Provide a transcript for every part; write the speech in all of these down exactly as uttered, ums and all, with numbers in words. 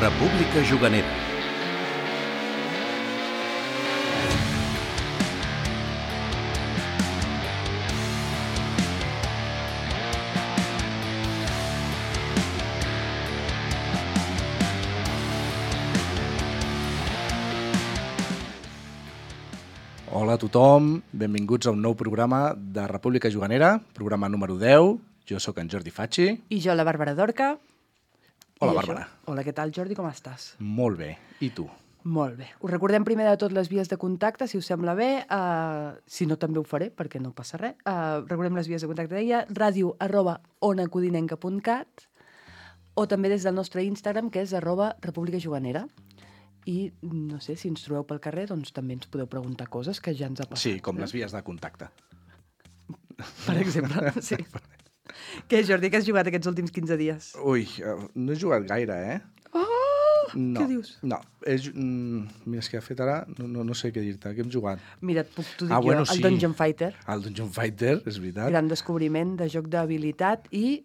República Juganera. Hola a tothom, benvinguts a un nou programa de República Juganera, programa número deu. Jo sóc en Jordi Facci. I jo, la Bàrbara Dorca. Hola, I Bàrbara. Això. Hola, què tal, Jordi? Com estàs? Molt bé. I tu? Molt bé. Us recordem primer de tot les vies de contacte, si us sembla bé. Uh, si no, també ho faré, perquè no passa res. Uh, recordem les vies de contacte d'ella, ràdio arroba onacodinenca punt cat o també des del nostre Instagram, que és arroba República Juganera. I, no sé, si ens trobeu pel carrer, doncs també ens podeu preguntar coses que ja ens ha passat. Sí, com eh? les vies de contacte. Per exemple, sí. Què, Jordi, què has jugat aquests últims quinze dies? Ui, no he jugat gaire, eh? Oh! No, Què dius? No, he, mm, mira, és que de fet ara no, no, no sé què dir-te. Què hem jugat? Mira, et puc, t'ho dic Ah, bueno, jo, el sí. Dungeon Fighter. El Dungeon Fighter, és veritat. Gran descobriment de joc d'habilitat i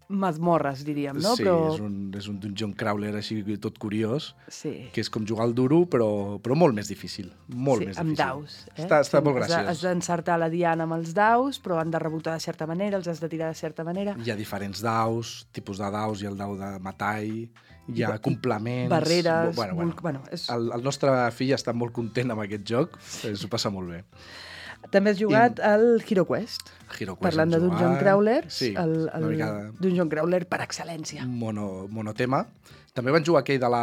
mazmorres, diríem, no? Sí, Però... és, un, és un dungeon crawler així tot curiós, Sí. que és com jugar al duro, però, però molt més difícil. Molt sí, més amb difícil. daus. Eh? Està, està Sí, molt has de- graciós. Has d'encertar la diana amb els daus, però han de rebotar de certa manera, els has de tirar de certa manera. Hi ha diferents daus, tipus de daus, hi ha el dau de metall, hi ha I- complements... barreres, Bueno, bueno. vul- bueno, és- el, el nostre fill està molt content amb aquest joc, s'ho passa molt bé. També has jugat I- al Hero Quest, Hero Quest parlant hem de Dungeon jugat. Crawlers, Sí, el, el una mica de Dungeon Crawler per excel·lència. mono, monotema. També van jugar aquell de la,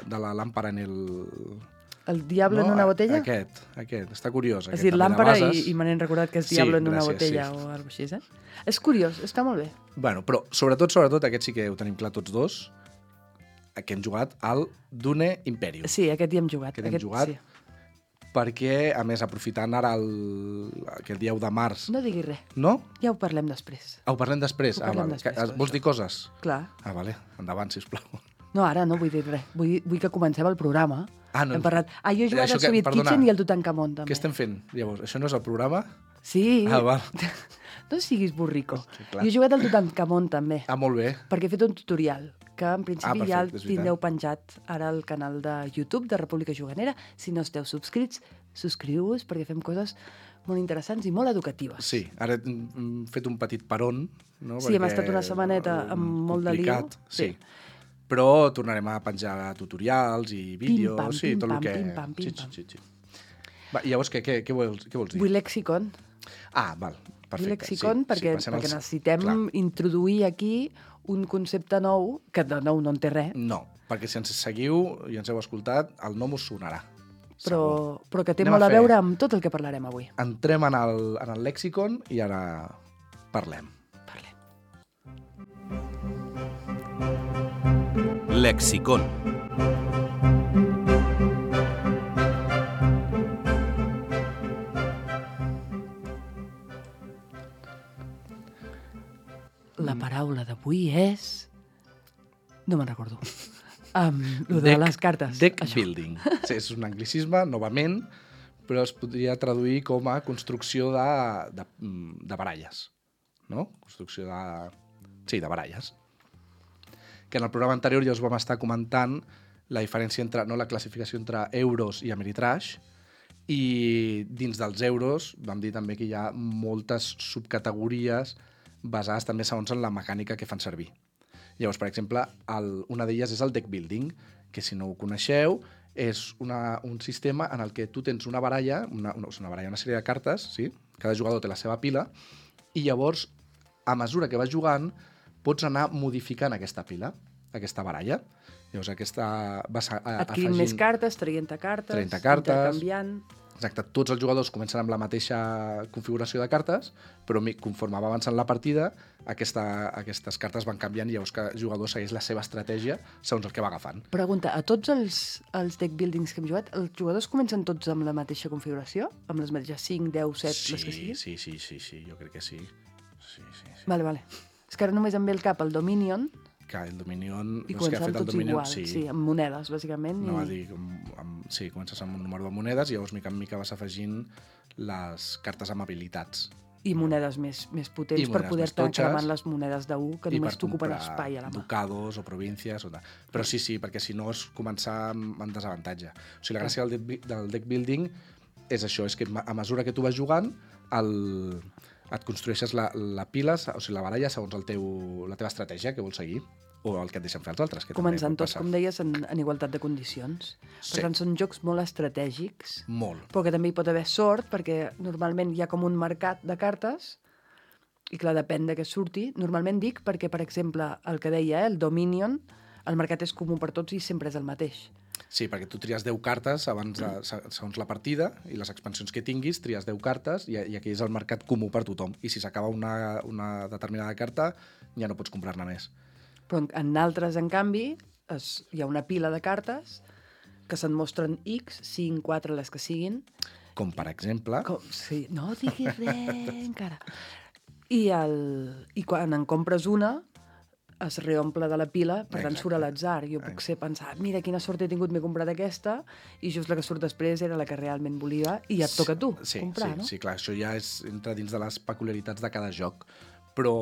de la làmpara en el... El Diablo no, en una botella? Aquest, aquest, està curiós. Has aquest dit també de làmpara i, bases. i me n'he recordat que és Sí, Diablo en una gràcies, botella sí. o alguna cosa així, eh? És curiós, està molt bé. Bueno, però sobretot, sobretot, aquest sí que ho tenim clar tots dos, que hem jugat al Dune Imperium. Sí, aquest hi hem jugat. Aquest hem jugat. Sí. Perquè, a més, aprofitant ara el, aquest dia u de març... No diguis res, No? ja ho parlem després. Ah, ho parlem després? Ho Ah, parlem vale. després, Que- tot Vols això. dir coses? Clar. Ah, vale. Endavant, sisplau. No, ara no vull dir res. Vull, vull que comencem el programa. Ah, no. Hem parlat... Ah, jo he jugat Això al que- Soviet perdona. Kitchen i al Tutankamon, també. Què estem fent, llavors? Això no és el programa? Sí. Ah, val. No siguis burrico. Sí, clar. Jo he jugat al Tutankamon, també, Ah, molt bé. perquè he fet un tutorial que en principi Ah, ja perfecte, el és veritat. tindreu penjat ara al canal de YouTube de República Juganera. Si no esteu subscrits, subscriu-vos perquè fem coses molt interessants i molt educatives. Sí, ara hem fet un petit peron. No? Sí, hem Perquè, estat una setmaneta eh, amb molt de lío. complicat, Sí. Sí. Però tornarem a penjar tutorials i vídeos, pam, sí, pim, tot pam, el que... pim, pam, pim, sí, pam. sí, sí, sí. Va, i llavors, què, què, què, vols, què vols dir? Vull lexicon. Ah, val, perfecte. Vull lexicon sí, perquè, sí, passem perquè als- necessitem Clar. introduir aquí un concepte nou, que de nou no en té res, No, perquè si ens seguiu i ens heu escoltat, el nom us sonarà. però, Segur. però que té Anem molt a a fer- veure amb tot el que parlarem avui. Entrem en el, en el lexicon i ara parlem. Parlem. Lexicon. La paraula d'avui és... No me'n recordo. Um, lo de Deck- les cartes. Deck això. building. Sí, és un anglicisme, novament, però es podria traduir com a construcció de, de, de baralles. No? Construcció de... Sí, de baralles. Que en el programa anterior ja us vam estar comentant la diferència entre, no, la classificació entre euros i Ameritrash, i dins dels euros vam dir també que hi ha moltes subcategories basades també segons en la mecànica que fan servir. Llavors, per exemple, el, una d'elles és el deck building, que si no ho coneixeu, és una, un sistema en el que tu tens una baralla, una, una, una baralla, una sèrie de cartes, sí? Cada jugador té la seva pila, i llavors, a mesura que vas jugant, pots anar modificant aquesta pila, aquesta baralla. Llavors, aquesta vas a, a, Adquirint afegint... més cartes, traient cartes, trenta cartes. intercanviant... Exacte, tots els jugadors comencen amb la mateixa configuració de cartes, però mi- conforme va avançant la partida, aquesta, aquestes cartes van canviant i llavors cada jugador segueix la seva estratègia segons el que va agafant. Pregunta, a tots els, els deck buildings que hem jugat, els jugadors comencen tots amb la mateixa configuració? Amb les mateixes cinc, deu, set, les que siguin? sí, sí, sí, sí, jo crec que sí. Sí, sí, sí. Vale, vale. És que ara només em ve el cap el Dominion Que el Dominion... i no és que ha comencem fet el tots Dominion, igual. sí. Sí, amb monedes, bàsicament. No va i... dir, amb, amb, sí, comences amb un número de monedes i llavors mica en mica vas afegint les cartes amb habilitats, I monedes més, més potents I per monedes poder més estar totxes. cremant les monedes de u que I només per t'ocupen comprar espai a la mà. ducados o províncies. O tal. Però sí, sí, perquè si no és començar amb, amb desavantatge. O sigui, la gràcia del deck, del deck building és això, és que a mesura que tu vas jugant, el, et construeixes la, la pila, o sigui, la baralla segons el teu, la teva estratègia que vols seguir, o el que et deixen fer els altres. Que Començant també pot tots, passar. com deies, en, en igualtat de condicions. Sí. Per tant, són jocs molt estratègics, Molt. però que també hi pot haver sort, perquè normalment hi ha com un mercat de cartes, i clar, depèn de què surti. Normalment dic perquè, per exemple, el que deia, eh, el Dominion, el mercat és comú per tots i sempre és el mateix. Sí, perquè tu tries deu cartes abans de, segons la partida i les expansions que tinguis, tries deu cartes i, i aquí és el mercat comú per tothom. I si s'acaba una, una determinada carta, ja no pots comprar-ne més. Però en, en altres, en canvi, es, hi ha una pila de cartes que se'n mostren X, cinc, quatre, les que siguin. Com, per exemple... Com, sí, no diguis res encara. I, el, I quan en compres una, es reomple de la pila, per tant Exacte. surt a l'atzar. Jo puc ser pensar, mira quina sort he tingut, m'he comprat aquesta, i just la que surt després era la que realment volia, i ja et toca a tu sí, comprar, sí, no? Sí, clar, això ja és, entra dins de les peculiaritats de cada joc. Però,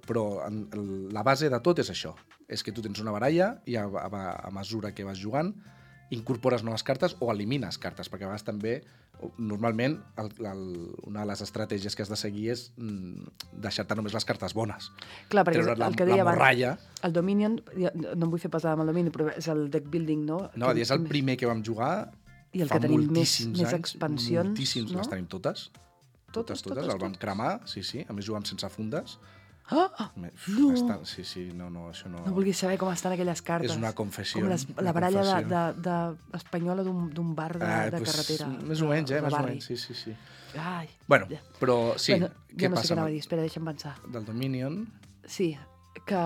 però en, la base de tot és això. És que tu tens una baralla i a, a, a mesura que vas jugant incorpores noves cartes o elimines cartes, perquè a vegades també, normalment, el, el, una de les estratègies que has de seguir és mm, deixar-te només les cartes bones. Clar, perquè Treure't la, el que deia la morralla. abans, el Dominion, no em vull fer passar amb el Dominion, però és el deck building, no? No, que, és el primer que vam jugar i el fa que tenim més, moltíssims més anys. expansions, Moltíssims, no? les tenim totes. Totes, Totes, totes, el vam cremar, sí, sí. A més jugàvem sense fundes. Ah, ah, Me- no. Està, sí, sí, no, no, això no... No vulguis saber com estan aquelles cartes. És una confessió. Com les, una la baralla de, confessió. de, de espanyola d'un d'un bar de, Ah, de pues, carretera. Més o menys, eh? de Més o barri. menys, sí, sí, sí. Ai, Bueno, ja. però sí, bueno, què ja no sé passa què anava a amb dir, espera, deixa'm pensar. el- del Dominion? Sí, que...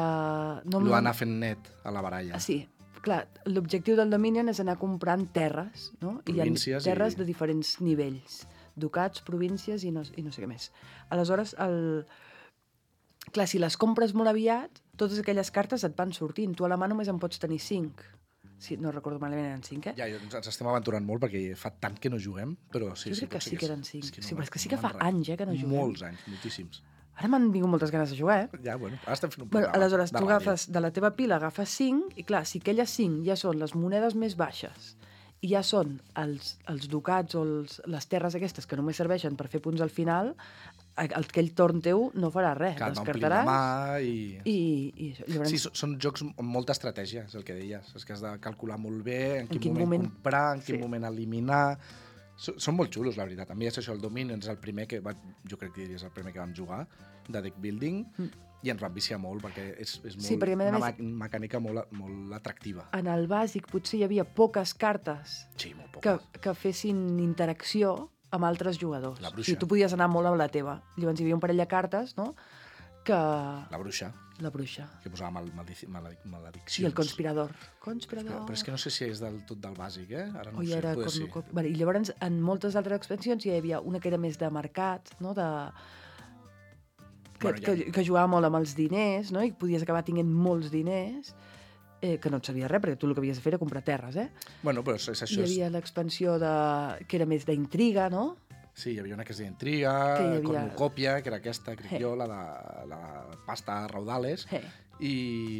No, Lo d'anar fent net a la baralla. Ah, sí, clar, l'objectiu del Dominion és anar comprant terres, no? I hi ha Províncies terres i- de diferents nivells. Ducats, províncies i no, i no sé què més. Aleshores, el... clar, si les compres molt aviat, totes aquelles cartes et van sortint. Tu a la mà només en pots tenir cinc. Sí, no recordo malament, eren cinc, eh? Ja, ens ens estem aventurant molt perquè fa tant que no juguem, però sí, Jo sí. crec que pot ser sí que eren cinc. és que Sí, però és que sí no que fa me'n rec- anys, eh, que no juguem. Molts anys, moltíssims. Ara m'han vingut moltes ganes de jugar, eh? Ja, bueno, ara estem fent un Bueno, programa aleshores, de tu ràdio. agafes de la teva pila, agafes cinc, i clar, si aquelles cinc ja són les monedes més baixes i ja són els, els ducats o els, les terres aquestes que només serveixen per fer punts al final, a- aquell torn teu no farà res. Que et va omplint la Descartaràs mà i... i, i llavors... Sí, són, són jocs amb molta estratègia, és el que deies. És que has de calcular molt bé en quin, quin moment, moment- comprar, en quin sí. moment eliminar... So- Són molt xulos, la veritat. A mi és això, el Dominion és el primer que... Va, jo crec que és el primer que vam jugar, de deck building, mm. i ens va viciar molt, perquè és, és molt, Sí, perquè, a més a una més- ma- mecànica molt, molt atractiva. En el bàsic potser hi havia poques cartes Sí, molt poc. que, que fessin interacció amb altres jugadors. La bruixa. O sigui, tu podies anar molt amb la teva. Llavors hi havia un parell de cartes, no?, que... La bruixa, La bruixa. que posava mal, maldici, maledic, malediccions. I el conspirador. Conspirador. Però, però és que no sé si és del tot del bàsic, eh? Ara no o ho hi sé, era poder sí. cornucop. Vale, I llavors, en moltes altres expansions hi havia una que era més de mercat, no?, de... Que, Bueno, ja- que, que jugava molt amb els diners, no?, i podies acabar tinguent molts diners, eh, que no et servia res, perquè tu el que havies de fer era comprar terres, eh? Bueno, però és, és Hi això. És... havia l'expansió de... que era més d'intriga, no? Sí, hi havia una que es deia Intriga, Que hi havia- Cornucòpia, que era aquesta, crec Eh. jo, la de la pasta raudales, Eh. i,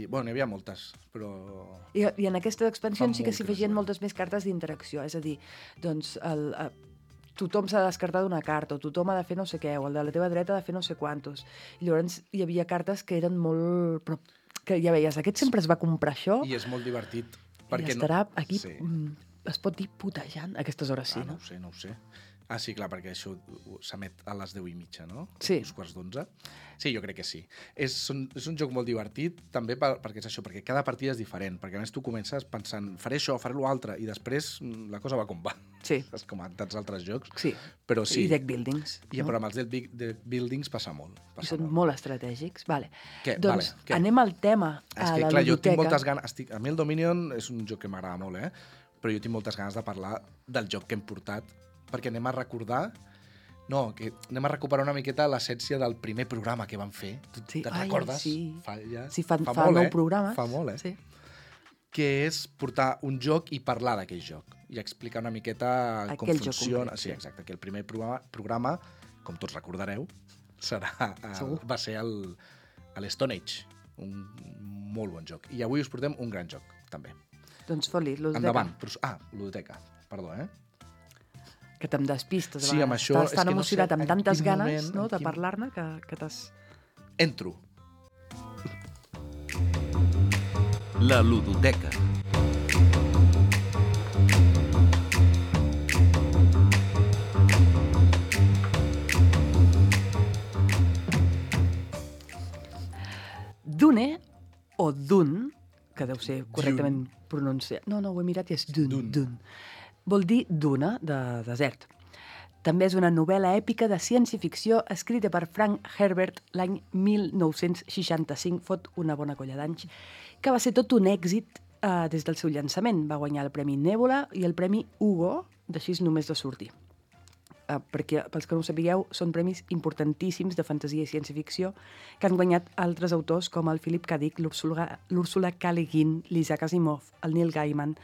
bueno, n'hi havia moltes, però... I, I en aquesta expansió Fa sí que molt s'hi que no afegien juguem. moltes més cartes d'interacció, és a dir, doncs el, a, tothom s'ha de descartar d'una carta, o tothom ha de fer no sé què, o el de la teva dreta ha de fer no sé quantos. I llavors hi havia cartes que eren molt... Però, que ja veies, aquest sempre es va comprar això I és molt divertit. i Perquè estarà aquí... Sí. Mm, es pot dir putejant a aquestes hores, sí, Ah, no no? ho sé, no ho sé. Ah, sí, clar, perquè això ho- s'emet a les deu i mitja, no? Sí. Uns quarts d'onze. Sí, jo crec que sí. És, són, és un joc molt divertit, també per, perquè és això, perquè cada partida és diferent, perquè a més tu comences pensant, faré això, faré l'altre, i després mm, la cosa va com va. Sí, És com en tants altres jocs. sí. Però sí. I deck buildings. I però amb els deck big- deck buildings passa molt. I Passa són molt. molt estratègics. Vale. Què? Doncs Vale, què? anem al tema, És a que, la clar, jo tinc ludoteca. moltes ganes... Estic, a mi el Dominion és un joc que m'agrada molt, eh? Però jo tinc moltes ganes de parlar del joc que hem portat, perquè anem a recordar... No, que anem a recuperar una miqueta l'essència del primer programa que vam fer. Tu Sí. te'n Ai, recordes? sí. Fa, ja... Sí, fa, fa, molt, nou eh? programes. Fa molt, eh? Sí. Que és portar un joc i parlar d'aquell joc. I explicar una miqueta com Aquell joc funciona. concret, Sí, sí. exacte. Que el primer programa, programa, com tots recordareu, serà, el, va ser el, l'Stone Age, un molt bon joc. I avui us portem un gran joc, també. Doncs fot-li, ludoteca. Endavant. Ah, ludoteca, perdó, eh? Que te'm despistes. Sí, amb això... Estàs tan emocionat, no sé, amb tantes ganes moment, no, de quin... parlar-ne, que, que t'has... Entro. La ludoteca. Dune, o Dun, que deu ser correctament pronunciat... No, no, ho he mirat i és Dun, Dun. Dun. Vol dir duna, de desert. També és una novel·la èpica de ciència-ficció escrita per Frank Herbert l'any mil nou-cents seixanta-cinc, fot una bona colla d'anys, que va ser tot un èxit eh, des del seu llançament. Va guanyar el Premi Nébula i el Premi Hugo, d'així només de sortir. Eh, perquè, pels que no ho sapigueu, són premis importantíssims de fantasia i ciència-ficció que han guanyat altres autors com el Philip K. Dick, l'Úrsula K. Le Guin, l'Isaac Asimov, el Neil Gaiman,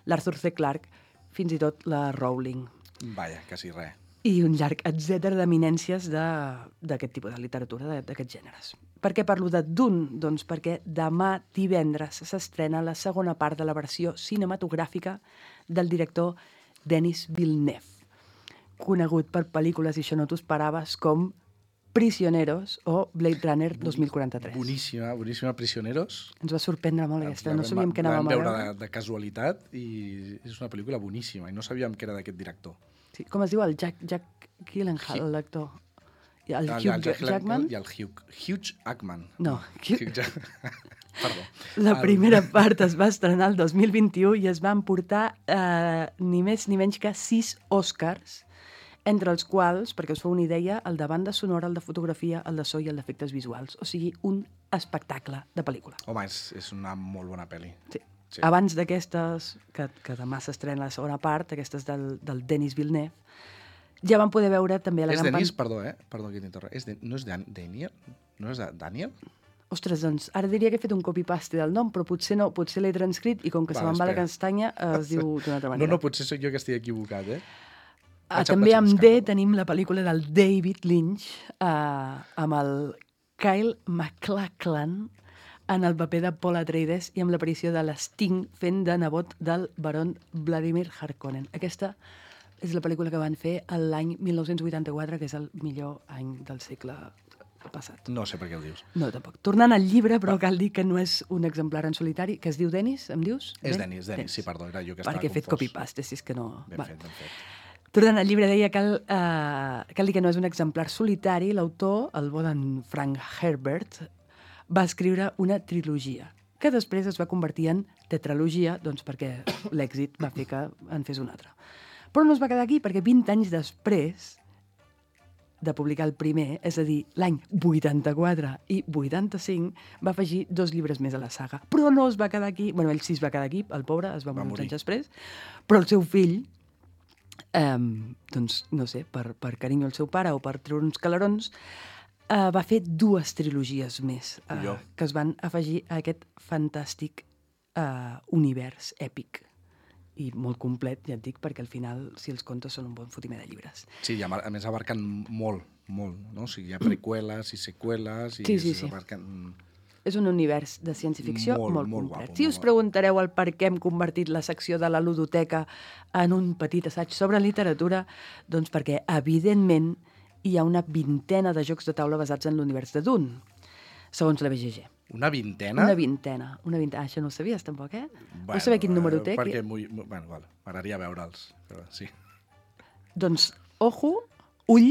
l'Arthur C. Clarke, fins i tot la Rowling. Vaja, quasi res. I un llarg etcètera d'eminències d'aquest tipus de literatura, d'aquests gèneres. Per què parlo de Dune? Doncs perquè demà divendres s'estrena la segona part de la versió cinematogràfica del director Denis Villeneuve, conegut per pel·lícules, i això no t'ho esperaves, com Prisioneros o Blade Runner dos mil quaranta-tres. Boníssima, boníssima Prisioneros. Ens va sorprendre molt aquesta, no sabíem què anàvem a veure. Vam veure de, de casualitat i és una pel·lícula boníssima i no sabíem que era d'aquest director. Sí, com es diu? El Jack, Jack Gyllenhaal, el lector. I el, el Hugh el Jack Jackman? I el Hugh, Hugh Jackman. No. Hugh Jack... Perdó. La el... primera part es va estrenar el dos mil vint-i-u i es van portar eh, ni més ni menys que sis Oscars, entre els quals, perquè us feu una idea, el de banda sonora, el de fotografia, el de so i el d'efectes visuals. O sigui, un espectacle de pel·lícula. Home, és, és una molt bona pel·li. Sí. Sí. Abans d'aquestes, que, que demà s'estrena la segona part, aquestes del, del Denis Villeneuve, ja vam poder veure també a la és gran... Denis, pan... perdó, eh? Perdó que t'interrompi. És de... No és Dan... Daniel? No és Daniel? Ostres, doncs, ara diria que he fet un copy-paste del nom, però potser no, potser l'he transcrit i com que vale, se me'n va la castanya es diu d'una altra manera. No, no, potser soc jo que estic equivocat, eh? Ah, també amb D tenim la pel·lícula del David Lynch eh, amb el Kyle MacLachlan en el paper de Paul Atreides i amb l'aparició de l'Sting fent de nebot del baron Vladimir Harkonnen. Aquesta és la pel·lícula que van fer l'any mil nou-cents vuitanta-quatre, que és el millor any del segle passat. No sé per què ho dius. No, tampoc. Tornant al llibre, però cal dir que no és un exemplar en solitari, que es diu Denis, em dius? És Denis, Denis, Denis. Sí, perdó, era jo que estava Perquè he fet confós. copy-paste, si és que no... Ben fet, ben fet. Tornant al llibre, deia que cal, eh, cal dir que no és un exemplar solitari. L'autor, el bon en Frank Herbert, va escriure una trilogia, que després es va convertir en tetralogia, doncs perquè l'èxit va fer que en fes una altra. Però no es va quedar aquí, perquè vint anys després de publicar el primer, és a dir, l'any vuitanta-quatre i vuitanta-cinc, va afegir dos llibres més a la saga. Però no es va quedar aquí, bueno, ell sí es va quedar aquí, el pobre, es va, va morir uns anys després, però el seu fill, eh, doncs, no sé, per, per carinyo al seu pare o per treure uns calarons, Uh, va fer dues trilogies més uh, que es van afegir a aquest fantàstic uh, univers èpic i molt complet, ja et dic, perquè al final, si els contes són un bon fotimer de llibres. Sí, i a, a més abarquen molt, molt, no? O sigui, hi ha preqüeles i seqüeles i sí, sí, sí. abarquen... És un univers de ciència-ficció molt, molt, molt complet. Guapo, si us preguntareu el per què hem convertit la secció de la ludoteca en un petit assaig sobre literatura, doncs perquè, evidentment, hi ha una vintena de jocs de taula basats en l'univers de Dune, segons la B G G. Una vintena? Una vintena. Una vintena. Ah, això no ho sabies, tampoc, eh? Bueno, Vull saber quin número té? Perquè muy, muy, bueno, vale, m'agradaria veure'ls, però sí. Doncs, ojo, ull,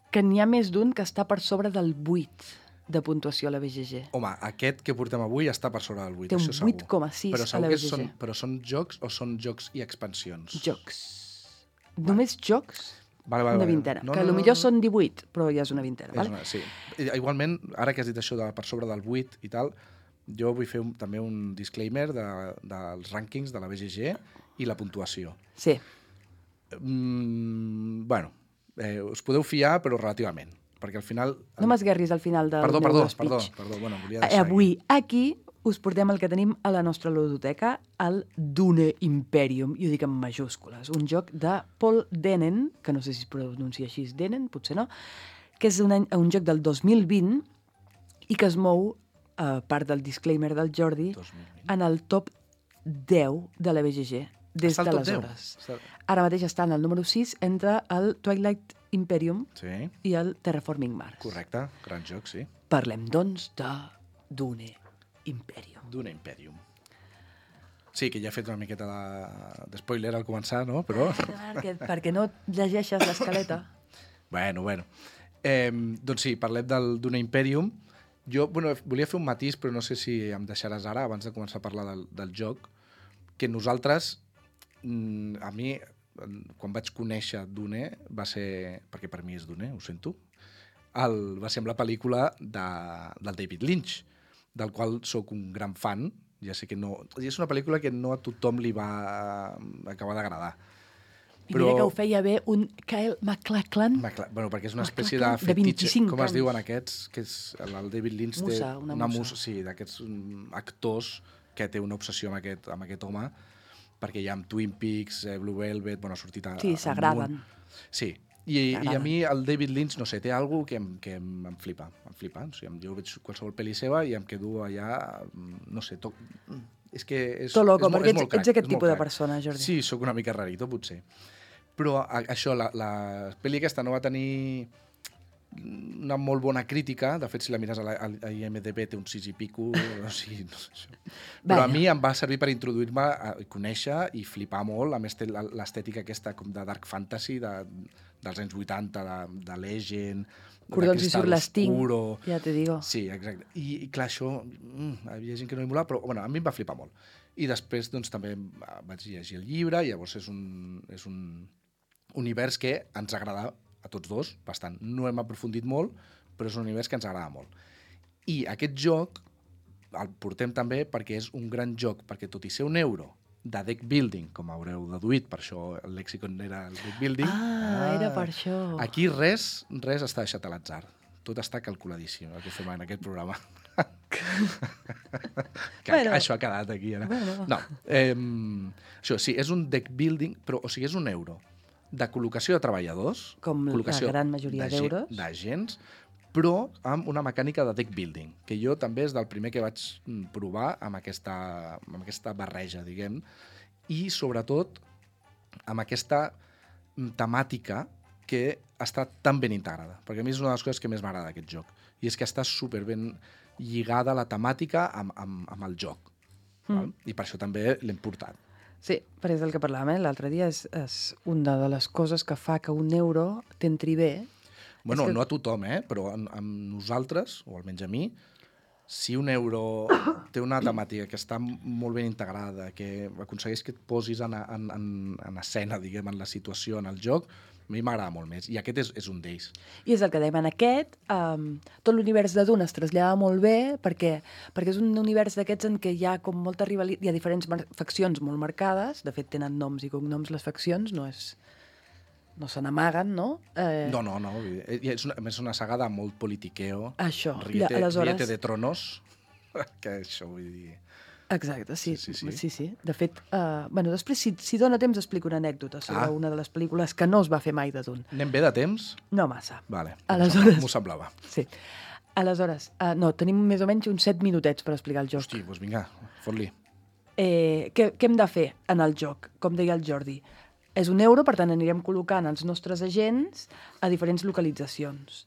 que n'hi ha més d'un que està per sobre del vuit de puntuació a la B G G. Home, aquest que portem avui està per sobre del vuit, té un això segur. vuit coma sis però a la B G G. Són, però són jocs o són jocs i expansions? Jocs. Vale. Només jocs? Vale, vale, una vale. vintena, no, que no, potser no, no. són divuit, però ja és una vintena. És Vale? una, sí. Igualment, ara que has dit això de per sobre del vuit i tal, jo vull fer un, també un disclaimer de, dels rànquings de la B G G i la puntuació. Sí. Mm, bueno, eh, us podeu fiar, però relativament, perquè al final... No m'esguerris al final del perdó, meu perdó, speech. perdó, perdó, bueno, volia deixar Avui, aquí, us portem el que tenim a la nostra ludoteca, el Dune Imperium, i ho dic en majúscules, un joc de Paul Denen, que no sé si es pronuncia així, Denen, potser no, que és un, any, un joc del dos mil vint i que es mou, a part del disclaimer del Jordi, dos mil vint. en el top deu de la B G G, des Està al top d'aleshores. deu? Està- Ara mateix està en el número sis entre el Twilight Imperium Sí, i el Terraforming Mars. correcte. Gran joc, sí. Parlem, doncs, de Dune Imperium. Dune Imperium. Sí, que ja he fet una miqueta de- de spoiler al començar, no? Però... Perquè, perquè no llegeixes l'escaleta. Bueno, bueno. Eh, doncs sí, parlem del Dune Imperium. Jo bueno, volia fer un matís, però no sé si em deixaràs ara, abans de començar a parlar del, del joc, que nosaltres, mm, a mi, quan vaig conèixer Dune, va ser, perquè per mi és Dune, ho sento, el, va ser amb la pel·lícula de, del David Lynch, del qual sóc un gran fan. Ja sé que no... És una pel·lícula que no a tothom li va acabar d'agradar. I mira que ho feia bé un Kyle MacLachlan. Macla- Bueno, perquè és una espècie de MacLachlan, de fetitxe, vint-i-cinc com es anys. diuen aquests, que és el el David Lynch té Musa, una musa. sí, d'aquests mm, actors que té una obsessió amb aquest, amb aquest home, perquè hi ha amb Twin Peaks, eh, Blue Velvet, bueno, ha sortit a, Sí, al s'agraden. munt. Sí, I, i a T'agraden. mi el David Lynch, no sé, té alguna que, em, que em, em flipa, em flipa. O sigui, jo veig qualsevol pel·li seva i em quedo allà, mm, no sé, to... és que és, Tot loco, és, mo- perquè és molt ets- crac, ets aquest és molt tipus de crac. persona, Jordi. Sí, sóc una mica rarito, potser. Però a, això, la, la pel·li aquesta no va tenir una molt bona crítica. De fet, si la mires a, la, a I M D B té un sis i pico. O sigui, no sé, això. Però Vaja. a mi em va servir per introduir-me a conèixer i flipar molt. A més, té la- l'estètica aquesta com de dark fantasy de, dels anys vuitanta, de, de Legend, Cordons i Cristal Surlasting, Oscuro. ja te digo. Sí, exacte. I, i clar, això, mm, hi havia gent que no li molava, però bueno, a mi em va flipar molt. I després doncs, també eh, vaig llegir el llibre, i llavors és un, és un univers que ens agrada a tots dos, bastant. No hem aprofundit molt, però és un univers que ens agrada molt. I aquest joc el portem també perquè és un gran joc, perquè tot i ser un euro de deck building, com haureu deduït, per això el lexicon era el deck building. Ah, era per això. Aquí res, res està deixat a l'atzar. Tot està calculadíssim, el que fem en aquest programa. que, Bueno. això ha quedat aquí, ara. Bueno. No, eh, això sí, és un deck building, però o sigui, és un euro de col·locació de treballadors, Com la col·locació gran majoria de gent- d'euros. d'agents, però amb una mecànica de deck building, que jo també és del primer que vaig mm, provar amb aquesta, amb aquesta barreja, diguem, i sobretot amb aquesta mm, temàtica que està tan ben integrada, perquè a mi és una de les coses que més m'agrada d'aquest joc, i és que està superben lligada la temàtica amb, amb, amb el joc, mm. val? I per això també l'hem portat. Sí, perquè és del que parlàvem eh? l'altre dia, és, és una de les coses que fa que un euro t'entri bé. Bueno, És que- no a tothom, eh? Però amb, amb nosaltres, o almenys a mi, si un euro té una temàtica que està molt ben integrada, que aconsegueix que et posis en, en, en, en escena, diguem, en la situació, en el joc, a mi m'agrada molt més. I aquest és, és un d'ells. I és el que dèiem en aquest, um, tot l'univers de Dune es trasllada molt bé perquè, perquè és un univers d'aquests en què hi ha com molta rivalitat, hi ha diferents mar- faccions molt marcades, de fet tenen noms i cognoms les faccions, no és no se n'amaguen, no? Eh, No, no, no. vull dir, És una, a més, una saga de molt politiqueo. Això. Riete, Aleshores- Riete de Tronos. Que això, vull dir... Exacte, sí. Sí, Sí, sí, sí. sí. sí, sí. De fet, uh, bueno, després, si, si dona temps, explico una anècdota sobre Ah. una de les pel·lícules que no es va fer mai de Dune. Anem bé de temps? No massa. Vale. Aleshores- M'ho semblava. Sí. Aleshores, uh, no, tenim més o menys uns set minutets per explicar el joc. Hosti, doncs vinga, fot-li. Eh, què, què hem de fer en el joc? Com deia el Jordi. És un euro, per tant anirem col·locant els nostres agents a diferents localitzacions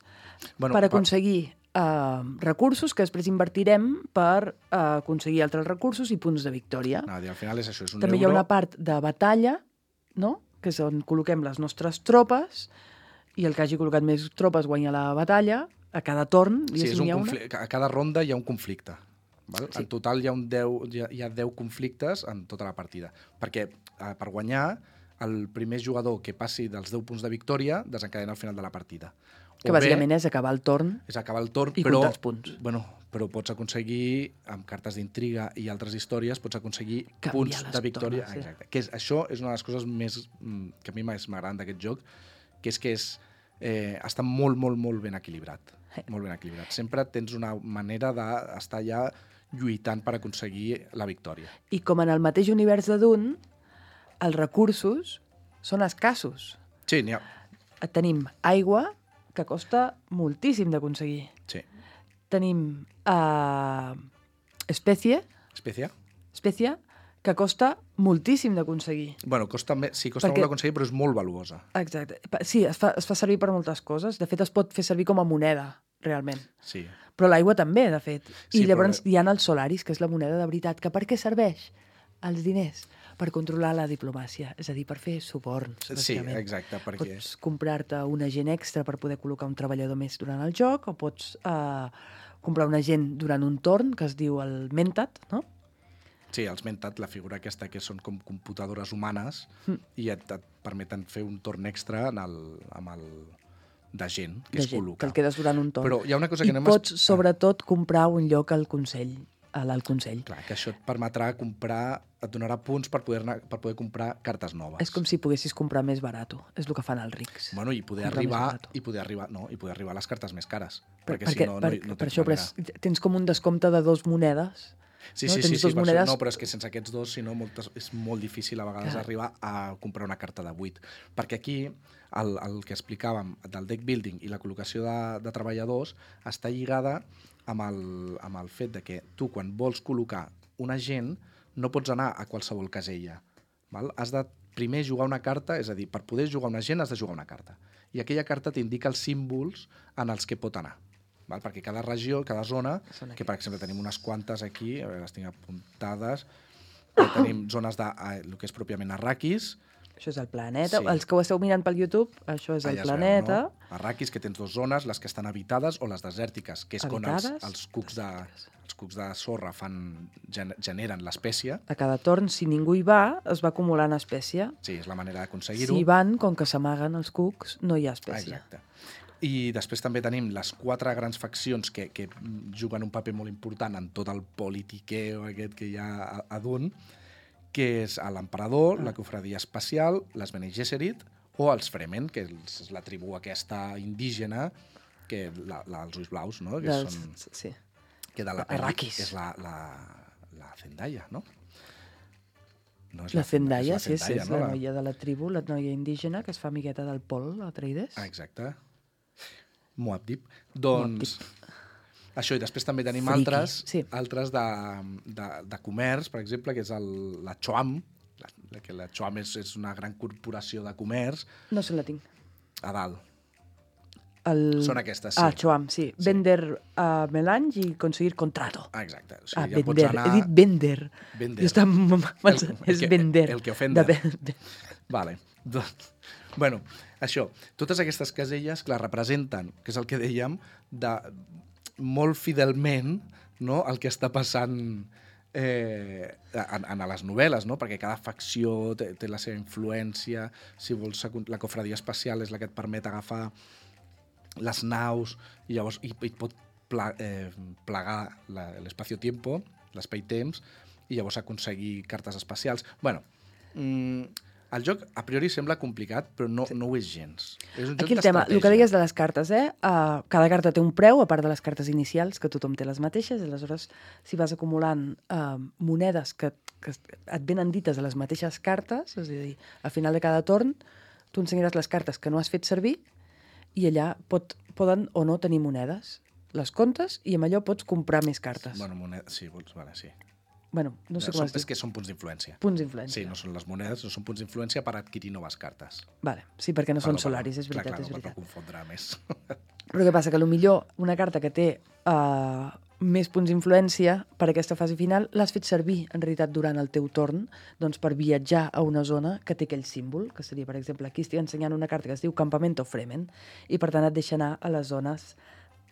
Bueno, per pa- aconseguir eh, recursos que després invertirem per eh, aconseguir altres recursos i punts de victòria. No, al final és això, és un També euro... hi ha una part de batalla, no? Que és on col·loquem les nostres tropes i el que hagi col·locat més tropes guanya la batalla a cada torn. Sí, és diguéssim, un hi ha una. conflicte. A cada ronda hi ha un conflicte. Val? Sí. En total hi ha, un deu, hi, ha, hi ha deu conflictes en tota la partida. Perquè eh, per guanyar, el primer jugador que passi dels deu punts de victòria desencadena al final de la partida. Que O bàsicament bé, és acabar el torn. és acabar el torn, i però, comptar els punts. Bueno, però pots aconseguir, amb cartes d'intriga i altres històries, pots aconseguir Canviar punts les de victòria. tornes, sí. Exacte. Que és, això és una de les coses més, mm, que a mi més m'agraden d'aquest joc, que és que és, eh, està molt, molt, molt ben equilibrat. Sí. Molt ben equilibrat. Sempre tens una manera d'estar ja lluitant per aconseguir la victòria. I com en el mateix univers de Dune, els recursos són escassos. Sí, n'hi ha... Tenim aigua, que costa moltíssim d'aconseguir. Sí. Tenim uh, Especie, Espècia? Espècia, que costa moltíssim d'aconseguir. Bueno, costa me... sí, costa Perquè- molt d'aconseguir, però és molt valuosa. Exacte. Pa- Sí, es fa, es fa servir per moltes coses. De fet, es pot fer servir com a moneda, realment. Sí. Però l'aigua també, de fet. Sí, I llavors però- hi ha els solaris, que és la moneda de veritat. Que per què serveix? Els diners. Per controlar la diplomàcia. És a dir, per fer suborns, Sí, bàsicament. exacte, perquè... Pots comprar-te un agent extra per poder col·locar un treballador més durant el joc, o pots eh, comprar un agent durant un torn, que es diu el Mentat, no? Sí, els mentat, la figura aquesta que són com computadores humanes mm. i et, et permeten fer un torn extra en el, amb el de gent que De es gent, col·loca. que el quedes durant un torn. Però hi ha una cosa que I no hem... pots, sobretot, comprar un lloc al Consell, a l'Alt Consell. Clar, que això et permetrà comprar, et donarà punts per poder, per poder comprar cartes noves. És com si poguessis comprar més barat. És el que fan els rics. Bueno, i poder Comprar més arribar barat. i poder arribar, no, i poder arribar a les cartes més cares, Per, perquè, perquè, si no, per, no, no per tens això, però manera. és, tens com un descompte de dos monedes. Sí, no? sí, Tens sí, sí, dos per monedes... això, no, però és que sense aquests dos, si no, moltes, és molt difícil a vegades Clar. arribar a comprar una carta de vuit. Perquè aquí el, el que explicàvem del deck building i la col·locació de, de treballadors està lligada amb el, amb el fet de que tu, quan vols col·locar un agent, no pots anar a qualsevol casella. Val? Has de primer jugar una carta, és a dir, per poder jugar un agent has de jugar una carta. I aquella carta t'indica els símbols en els que pot anar. Val? Perquè cada regió, cada zona, Són que per aquests. exemple tenim unes quantes aquí, a veure, les tinc apuntades, que tenim zones de eh, el que és pròpiament Arrakis. Això és el planeta. Sí. Els que ho esteu mirant pel YouTube, això és el allà es planeta. Veu, no? Arrakis, que tens dues zones, les que estan habitades o les desèrtiques, que és quan els, Habitades, els, cucs de, els cucs de sorra fan, gen, generen l'espècie. A cada torn, si ningú hi va, es va acumulant espècie. Sí, és la manera d'aconseguir-ho. Si hi van, com que s'amaguen els cucs, no hi ha Ah, espècie. exacte. I després també tenim les quatre grans faccions que, que juguen un paper molt important en tot el politiqueo aquest que hi ha a, a Dune, que és l'emperador, Ah. la cofradia espacial, les Bene Gesserit o els Fremen, que és la tribu aquesta indígena, que la, la, els ulls blaus, no? Que Dels, són, sí. que de la pel·li Arrakis. és la, la, la Zendaya, no? No és La Zendaya, és sí, sí, és no? la noia de la tribu, la noia indígena, que es fa amigueta del Pol, Atreides. Ah, exacte. Muad'Dib. Doncs... Això, i després també tenim Friki, altres, sí. altres de, de, de comerç, per exemple, que és el, la Choam, la, la, que la Choam és, és una gran corporació de comerç, No se la tinc. a dalt. El... Són aquestes, sí. Ah, Choam, sí. Sí. Vender a Melange i conseguir contrato. Ah, exacte. O Ah, sigui, ja vender. pots anar... He dit vender. Vender. Jo estava... El- el és que- vender. el que ofende. De vender. Vale. Doncs, bueno, això, totes aquestes caselles, clar, representen, que és el que dèiem, de molt fidelment, no?, el que està passant eh, en, en les novel·les, no?, perquè cada facció té, té la seva influència, si vols, la cofradia espacial és la que et permet agafar les naus, i llavors i, i pot pla, eh, plegar la- l'espacio-tiempo, l'espai-temps, i llavors aconseguir cartes espacials. Bueno, mm, el joc a priori sembla complicat, però no, no ho és gens. És un joc Aquí el tema, el que d'estratègia. deies de les cartes, eh? Uh, cada carta té un preu, a part de les cartes inicials, que tothom té les mateixes, i aleshores, si vas acumulant uh, monedes que, que et venen dites a les mateixes cartes, és a dir, al final de cada torn, tu ensenyaràs les cartes que no has fet servir, i allà pot, poden o no tenir monedes. Les comptes i amb allò pots comprar més cartes. Bueno, moneda, sí, vols, vale, sí. Bueno, no sé com són, es diu. és que són punts d'influència. Punts d'influència. Sí, no són les monedes, no són punts d'influència per adquirir noves cartes. Vale. Sí, perquè no són Perdó, solaris, perdó. és veritat, clar, clar, és no, veritat. Per no confondre més. Però què passa? Que potser una carta que té uh, més punts d'influència per aquesta fase final l'has fet servir, en realitat, durant el teu torn, doncs per viatjar a una zona que té aquell símbol, que seria, per exemple, aquí estic ensenyant una carta que es diu Campamento Fremen, i per tant et deixa anar a les zones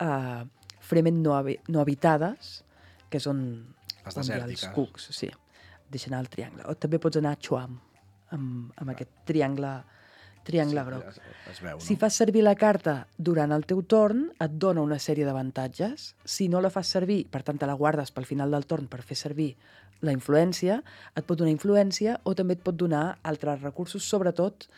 uh, Fremen no, habi no habitades, que són Les on hi ha desèrtiques. els cucs, sí. Et deixa anar al triangle. O també pots anar a Choam, amb, amb aquest triangle, triangle Sí, groc. es, es veu, no? Si fas servir la carta durant el teu torn, et dona una sèrie d'avantatges. Si no la fas servir, per tant te la guardes pel final del torn per fer servir la influència, et pot donar influència o també et pot donar altres recursos, sobretot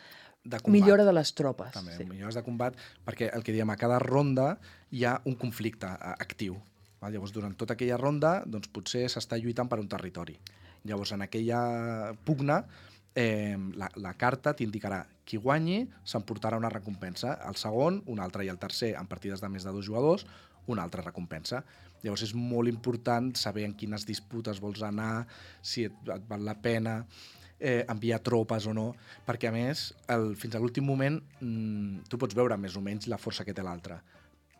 de combat. millora de les tropes. També, Sí. millores de combat, perquè el que diem, a cada ronda hi ha un conflicte eh, actiu. Val? Llavors, durant tota aquella ronda, doncs, potser s'està lluitant per un territori. Llavors, en aquella pugna, eh, la, la carta t'indicarà qui guanyi s'emportarà una recompensa, el segon, un altre, i el tercer, en partides de més de dos jugadors, una altra recompensa. Llavors és molt important saber en quines disputes vols anar, si et, et val la pena eh, enviar tropes o no, perquè a més, el, fins a l'últim moment, mmm, tu pots veure més o menys la força que té l'altre,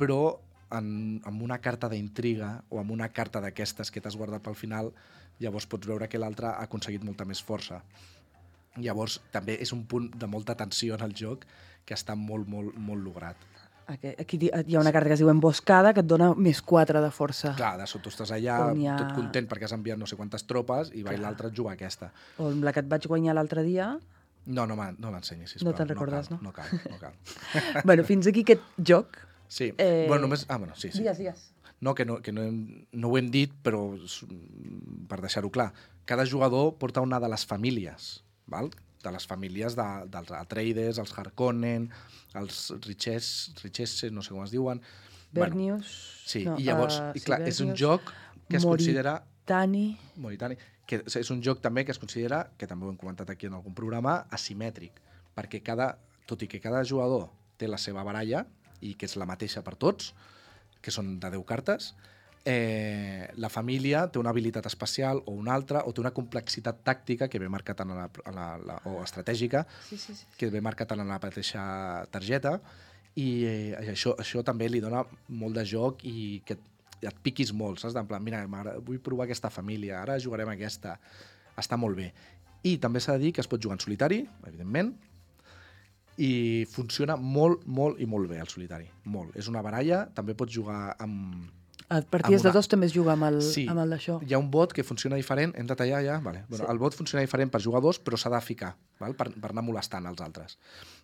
però en, amb una carta d'intriga o amb una carta d'aquestes que t'has guardat pel final, llavors pots veure que l'altre ha aconseguit molta més força. Llavors també és un punt de molta tensió en el joc que està molt, molt, molt lograt. Aquí, aquí hi ha una carta que es diu Emboscada, que et dona més quatre de força. Clar, de sota estàs allà ha... tot content perquè has enviat no sé quantes tropes i va i l'altre et juga aquesta. O la que et vaig guanyar l'altre dia... No, no, no l'ensenyis, sisplau. No te'n recordes, no? No, no cal, no cal. Bueno, fins aquí aquest joc. Sí, eh... bueno, només... Ah, bueno, sí, sí. Digues, digues. No, que, no, que no, hem, no ho hem dit, però per deixar-ho clar, cada jugador porta una de les famílies, val? De les famílies de, dels Atreides, els Harkonnen, els Riches, Richesse, no sé com es diuen. Bernius... Bueno, sí, no, i llavors, uh, i clar, sí, és un joc que es considera... Moritani. Moritani. Que és un joc també que es considera, que també ho hem comentat aquí en algun programa, asimètric, perquè cada, tot i que cada jugador té la seva baralla, i que és la mateixa per tots, que són de deu cartes, eh, la família té una habilitat especial o una altra, o té una complexitat tàctica que ve marcat en la, en la, la, o estratègica, sí, sí, sí. que ve marcat en la mateixa targeta, i eh, això, això també li dona molt de joc i que et piquis molt, saps? En plan, mira, vull provar aquesta família, ara jugarem aquesta. Està molt bé. I també s'ha de dir que es pot jugar en solitari, evidentment, i funciona molt, molt i molt bé el solitari. Molt. És una baralla, també pots jugar amb... A partides amb una... de dos també es juga amb el, sí, amb el d'això. Hi ha un bot que funciona diferent, hem de tallar ja? Vale. Bueno, sí. El bot funciona diferent per jugar dos, però s'ha de ficar, val? Per, per anar molestant els altres.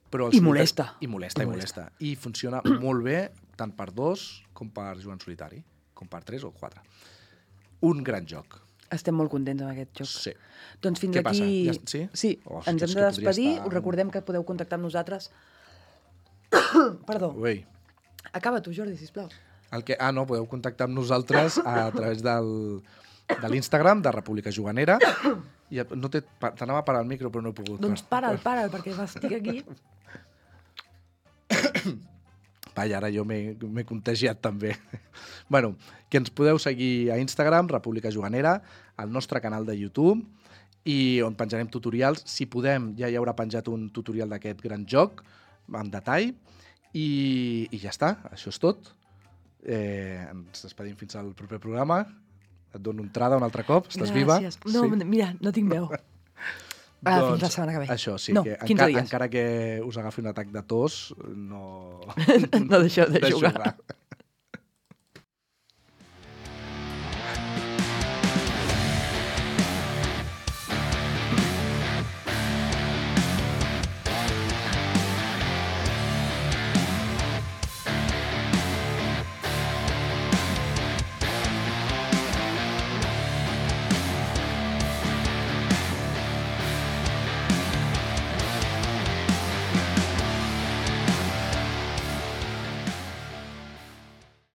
Però I molesta. I molesta, i, i molesta. I funciona molt bé, tant per dos com per jugar en solitari, com per tres o quatre. Un gran joc. Estem molt contents amb aquest joc. Sí. Doncs fins Què aquí... passa? Ja, sí? Sí, oh, ens hem de despedir. Estar... Us recordem que podeu contactar amb nosaltres. Perdó. Ui. Acaba tu, Jordi, sisplau. El que... Ah, no, podeu contactar amb nosaltres a través del, de l'Instagram de República Juganera. I no té... T'anava a parar el micro, però no he pogut. Doncs para'l, para'l, perquè estic aquí. Vaja, ara jo m'he contagiat també. Bueno, que ens podeu seguir a Instagram, República Juganera, al nostre canal de YouTube, i on penjarem tutorials. Si podem, ja hi haurà penjat un tutorial d'aquest gran joc, en detall, i, i ja està, això és tot. Eh, ens despedim fins al proper programa. Et dono entrada un altre cop, estàs Gràcies. viva? No, sí? Mira, no tinc veu. Ah, doncs, fins la setmana que ve. Això, sí, no, que quinze enca dies. encara que us agafi un atac de tos, no... no deixeu de, de jugar. jugar.